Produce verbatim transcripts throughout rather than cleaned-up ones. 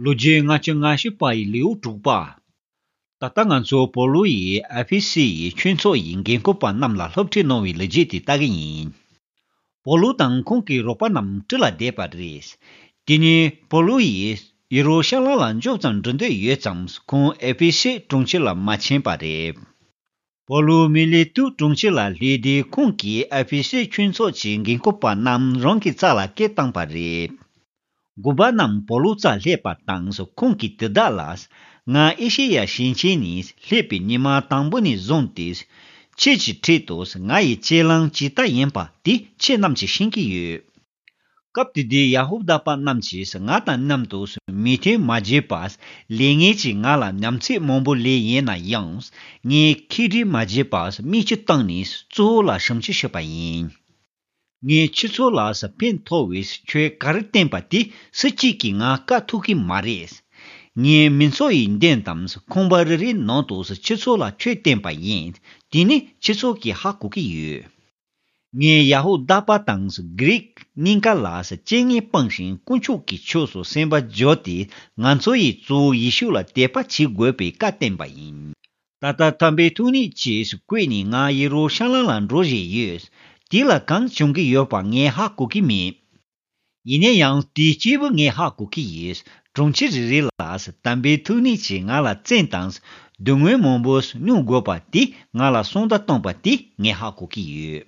ལོ་རྒྱུས་ལྔ་བཅུ་ང་བཞི་པ་ཡི་ལེའུ་དྲུག་པ། ད་ལྟ་ང་ཚོ་པོ་ལུ་ཡིས་ཨེ་ཕེ་སི་ཡི་ཆོས་ཚོགས་ཡི་འགན་འཁུར་པ་རྣམས་ལ་སློབ་ཁྲིད་གནང་བའི་ལོ་རྒྱུས་དེ་ལྟ་གི་ཡིན། པོ་ལུ་དང་ཁོང་གི་རོགས་པ་རྣམས་ཁྲི་ལ་བསྡད་པ་རེད། དེ་ནས་པོ་ལུ་ཡིས་ཡེ་རུ་ཤ་ལམ་ལ་མགྱོགས་ཙམ་འགྲོ་འདོད་ཡོད་ཙང་ཁོང་ཨེ་ཕེ་སི་གྲོང་ཁྱེར་ལ་མ་ཕྱིན་པ་རེད། པོ་ལུ་མི་ལེ་ཏུ་གྲོང་ཁྱེར་ལ་སླེབས་དུས་ཁོང་གིས་ཨེ་ཕེ་སི་ཆོས་ཚོགས་ཀྱི་འགན་འཁུར་པ་རྣམས་རང་གི་རྩ་ལ་སྐད་བཏང་པ་རེད། དགོན་པ་རྣམས་པོ་ལུ་རྩར་སླེབས་པ་དང་ཁོང་གིས་དེ་དག་ལ། ང་ཨེ་ཤེ་ཡ་ཞིང་ཆེན་ནས་སླེབས་པའི་ཉི་མ་དང་པོ་ནས་བཟུང་སྟེ། ཁྱེད་ཀྱི་འཁྲིས་དུ་ང་ཡི་གཅེས་ལང་ཇི་ལྟར་ཡིན་པ་དེ་ཁྱེད་རྣམས་ཀྱིས་ཤེས་ཀྱི་ཡོད། སྐབས་དེ་དུས་ཡ་ཧུ་དཱ་པ་རྣམས་ཀྱིས་ང་དང་མཉམ་དུ་མོས་མཐུན་མ་བྱས་པར་ལས་ངན་གྱིས་ང་ལ་ཉམས་ཚད་མང་པོ་ལས་ཡིན་ན་ཡང་ངས་ཁས་འདྲི་མ་བྱས་པར་མིག་ཆུ་བཏང་ནས་གཙོ་བོ་ལ་ཞབས་ཕྱི་ཞུས་པ་ཡིན། ངས་ཁྱེད་ཚོ་ལ་ཕན་ཐོགས་པའི་ཆོས་ག་རེ་བསྟན་པ་དེ་སུ་གཅིག་གིས་ང་བཀག་ཐུབ་ཀྱི་མ་རེད། ངས་མི་ཚོགས་ཡི་མདུན་དང་ཁང་པ་རེ་རེའི་ནང་དུ་ཁྱེད་ཚོ་ལ་ཆོས་བསྟན་པ་ཡིན། དེ་ནི་ཁྱེད་ཚོ་གིས་ཧ་གོ་གི་ཡོད། ངས་ཡ་ཧུ་དཱ་པ་དང་གྷི་རིག་གཉིས་ཀ་ལ་རྐྱེན་ངན་སྤངས་ཤིང་དཀོན་མཆོག་གི་ཕྱོགས་སུ་སེམས་པ་བསྒྱུར་ཏེ་ང་ཚོ་ཡི་གཙོ་བོ་ཡེ་ཤུ་ལ་དད་པ་བྱེད་དགོས་པའི་བཀའ་བསྟན་པ་ཡིན། ད་ལྟ་དམ་པའི་ཐུགས་ཉིད་ཀྱིས་བསྐོས་ནས་ང་ཡེ་རུ་ཤ་ལམ་ལ་འགྲོ་བཞིན་ཡོད། དེ་ལ་གང་བྱུང་གི་ཡོད་པ་ངས་ཧ་གོ་གི་མེད། ཡིན་ན་ཡང་དེའི་སྐྱེས་བུ་ངས་ཧ་གོ་གི་ཡིན། གྲོང་ཁྱེར་རེ་རེ་ལ་དམ་པའི་ཐུགས་ཉིད་ཀྱིས་ང་ལ་བཙན་དང་སྡུག་བསྔལ་མང་པོ་མྱོང་དགོས་པ་དེ་ང་ལ་གསང་བརྡ་བཏང་པ་དེ་ངས་ཧ་གོ་གི་ཡོད།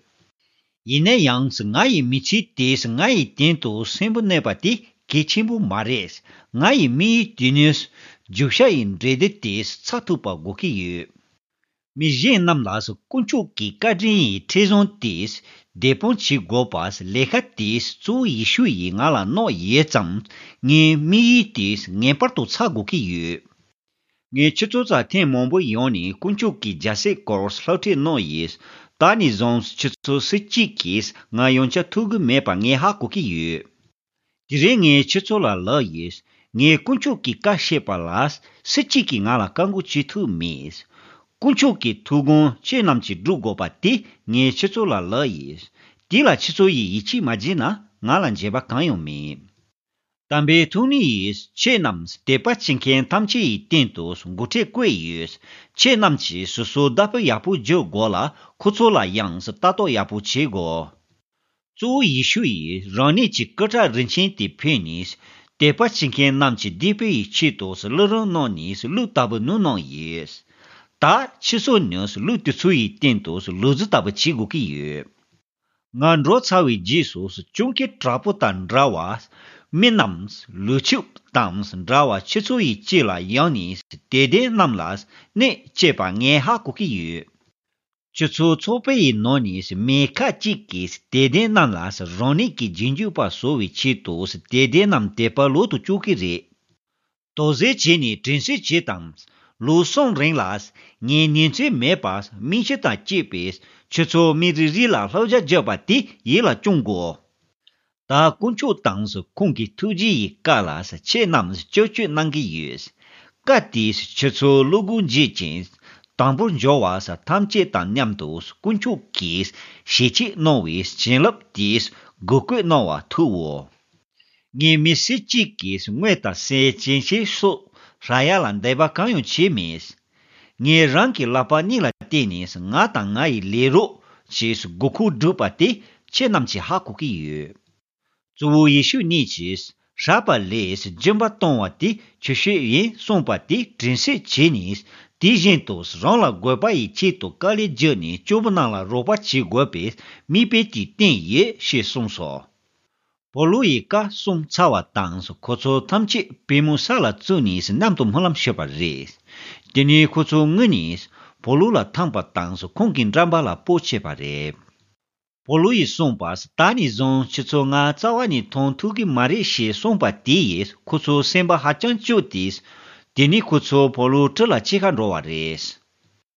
ཡིན་ན་ཡང་ང་ཡི་མི་ཚེ་དེས་ང་ཡི་སྟེང་དུ་སེམས་པ་གནས་པ་དེ་གལ་ཆེན་པོ་མ་རེད། ང་ཡི་དམིགས་ཡུལ་དེ་ནི་རྒྱུ་ཤ་ཡི་འབྲས་དེ་དེས་ཚར་ཐུབ་པ་དགོས་ཀྱི་ཡོད། མི་གཞན་རྣམས་ལ་དཀོན་མཆོག་གི་བཀའ་དྲིན་ཡི་ཁྲིམས་བཟང་དེས་བདེ་སྤོང་བྱེད་དགོས་པ་ལས་ཀ་དེས་གཙོ་བོ་ཡེ་ཤུ་ཡིས་ང་ལ་གནང་ཡོད་ཙང་ངའི་དམིགས་ཡུལ་དེས་ངེས་པར་དུ་ཚར་དགོས་ཀྱི་ཡོད། ངས་ཁྱེད་ཚོ་རྩར་ཐེངས་མང་པོ་ཡོང་ནས་དཀོན་མཆོག་གི་རྒྱལ་སྲིད་སྐོར་སློབ་ཁྲིད་གནང་ཡིན། ད་ནས་བཟུང་ཁྱེད་ཚོ་སུ་གཅིག་གིས་ང་ཡང་བསྐྱར་ཐུག་གི་མེད་པ་ངས་ཧ་གོ་གི་ཡོད། དེ་རིང་ངས་ཁྱེད་ཚོ་ལ་ལབ་ཡིན། ངས་དཀོན་མཆོག་གི་བཀའ་བཤད་པ་ལ་སུ་གཅིག་གིས་ང་ལ་བཀག་འགོག་བྱེད་ཐུབ་མེད། དཀོན་མཆོག་གི་ཐུགས་དགོངས་ཁྱེད་རྣམས་ཀྱིས་སྒྲུབ་དགོས་པ་དེ་ངས་ཁྱེད་ཚོ་ལ་ལབ་ཡིན། དེ་ལ་ཁྱེད་ཚོ་ཡིས་ཡིད་ཆེས་མ་བྱས་ན་ང་ལ་འགྱོད་པ་གང་ཡང་མེད། དམ་པའི་ཐུགས་ཉིད་ཡིས་ཁྱེད་རྣམས་དད་པ་བྱེད་མཁན་ཐམས་ཅད་ཡི་སྟེང་དུ་འགོ་ཁྲིད་བསྐོས་ཡོད། ཁྱེད་རྣམས་ཀྱིས་སོ་སོའི་བདག་པོ་ཡག་པོ་སྒྱུར་དགོས་ལ་ཁོ་ཚོ་ལ་ཡང་ལྟ་རྟོག་ཡག་པོ་བྱེད་དགོས། གཙོ་བོ་ཡེ་ཤུ་ཡིས་རང་ཉིད་ཀྱི་སྐུ་ཁྲག་རིན་ཆེན་དེ་ཕུལ་ནས་དད་པ་བྱེད་མཁན་རྣམས་ཀྱི་བདེ་བའི་ཆེད་དུ་བླུ་རིན་གནང་ནས་གླུ་ལྟ་བུ་ནུ་གནང་ཡོད། ད་ཁྱེད་ཚོ་ནི་གླུ་དེ་ཚོ་ཡི་སྟེང་དུ་ལུས་རྩལ་ལྟ་བུ་བྱེད་དགོས་ཀྱི་ཡོད། ང་འགྲོ་ཚར་བའི་རྗེས་སུ་སྤྱང་ཀི་དྲག་པོ་དང་འདྲ་བ། མི་རྣམས་ལུས་ཕྱུགས་དང་འདྲ་བ་ཁྱེད་ཚོ་ཡི་ལྕེ་ལ་ཡང་ནས་དད་ལྡན་རྣམས་ལ་གནོད་བྱེད་པ་ངས་ཧ་གོ་གི་ཡོད། ཁྱེད་ཚོའི་ཚོགས་པའི་ནང་ནས་མི་ཁ་ཅིག་གིས་དད་ལྡན་རྣམས་ལ་རང་ཉིད་ཀྱི་རྗེས་འཇུག་པ་བཟོ་བའི་ཆེད་དུ་དད་ལྡན་རྣམས་དད་པ་ལོག་ཏུ་བཅུག་གི་རེད། དོགས་སེལ་བྱས་ནས་དྲན་གསོ་བྱེད་དང་། ལོ་གསུམ་རིང་ལ་ངས་ཉིན་མཚན་མེད་པར་མིག་ཆུ་དང་བཅས་པས་ཁྱེད་ཚོ་མི་རེ་རེ་ལ་བསླབ་བྱ་བརྒྱབ་པ་དེ་ཡིད་ལ་བཅངས་དགོས། ད་དཀོན་མཆོག་དང་ཁོང་གི་ཐུགས་རྗེ་ཡི་བཀའ་ལ་ཁྱེད་རྣམས་སྐྱོན་བརྗོད་གནང་གི་ཡོད། བཀའ་དེས་ཁྱེད་ཚོ་བློ་སྒོ་འབྱེད་ཅིང་དང་པོར་འབྱོར་བ་ཐམས་ཅད་དང་མཉམ་དུ་དཀོན་མཆོག་གིས་ཞལ་ཆད་གནང་བའི་བྱིན་རླབས་དེས་བསྒོ་བསྐུལ་གནང་བ་ཐུབ་བོ། ངས་མི་སུ་གཅིག་གིས་དངུལ་དང་ཟས་སྐྱེད་ཆས་སོགས་རག་ཡ་ལ་འདོད་པ་གང་ཡང་བྱས་མེད། ངས་རང་གི་ལག་པ་གཉིས་ལ་བརྟེན་ནས་ང་དང་ང་ཡི་ལས་རོགས་ཀྱི་དགོས་མཁོ་བསྒྲུབས་པ་དེ་ཁྱེད་རྣམས་ཀྱིས་ཧ་གོ་གི་ཡོད། གཙོ་བོ་ཡེ་ཤུ་ཉིད་ཀྱིས་སྲེག་པ་ལས་སྦྱིན་པ་གཏོང་བ་དེ་ཆོས་སྤྱོད་ཡིན་གསུངས་པ་དེ་དྲན་གསོ་བྱས་ནས་དེ་བཞིན་དུ་རང་ལ་དགོས་པ་ཡི་ཆེད་དུ་དཀའ་ལས་བརྒྱབ་ནས་སྐྱོ་པོ་རྣམས་ལ་རོགས་པ་བྱེད་དགོས་པའི་དམིགས་དཔེ་དེ་བསྟན་ཡོད་ཞེས་གསུངས་སོ། པོ་ལུ་ཡིས་བཀའ་གསུངས་ཚར་བ་དང་ཁོ་ཚོ་ཐམས་ཅད་པུས་མོ་ས་ལ་བཙུགས་ནས་མཉམ་དུ་སྨོན་ལམ་ཞུས་པ་རེད། དེ་ནས་ཁོ་ཚོ་ངུས་ནས་པོ་ལུ་ལ་འཐམས་པ་དང་ཁོང་གི་འགྲམ་པ་ལ་སྤོ་བྱས་པ་རེད། པོ་ལུ་ཡིས་གསུངས་པ། ད་ནས་བཟུང་ཁྱེད་ཚོ་ང་རྩ་བ་ནས་མཐོང་ཐུབ་ཀྱི་མ་རེད་ཞེས་གསུངས་པ་དེ་ཡིས་ཁོ་ཚོ་སེམས་པ་ཧ་ཅང་སྐྱོ་སྟེ། དེ་ནས་ཁོ་ཚོ་པོ་ལུ་ཁྲི་ལ་ཕྱི་ཁར་འགྲོ་བ་རེད།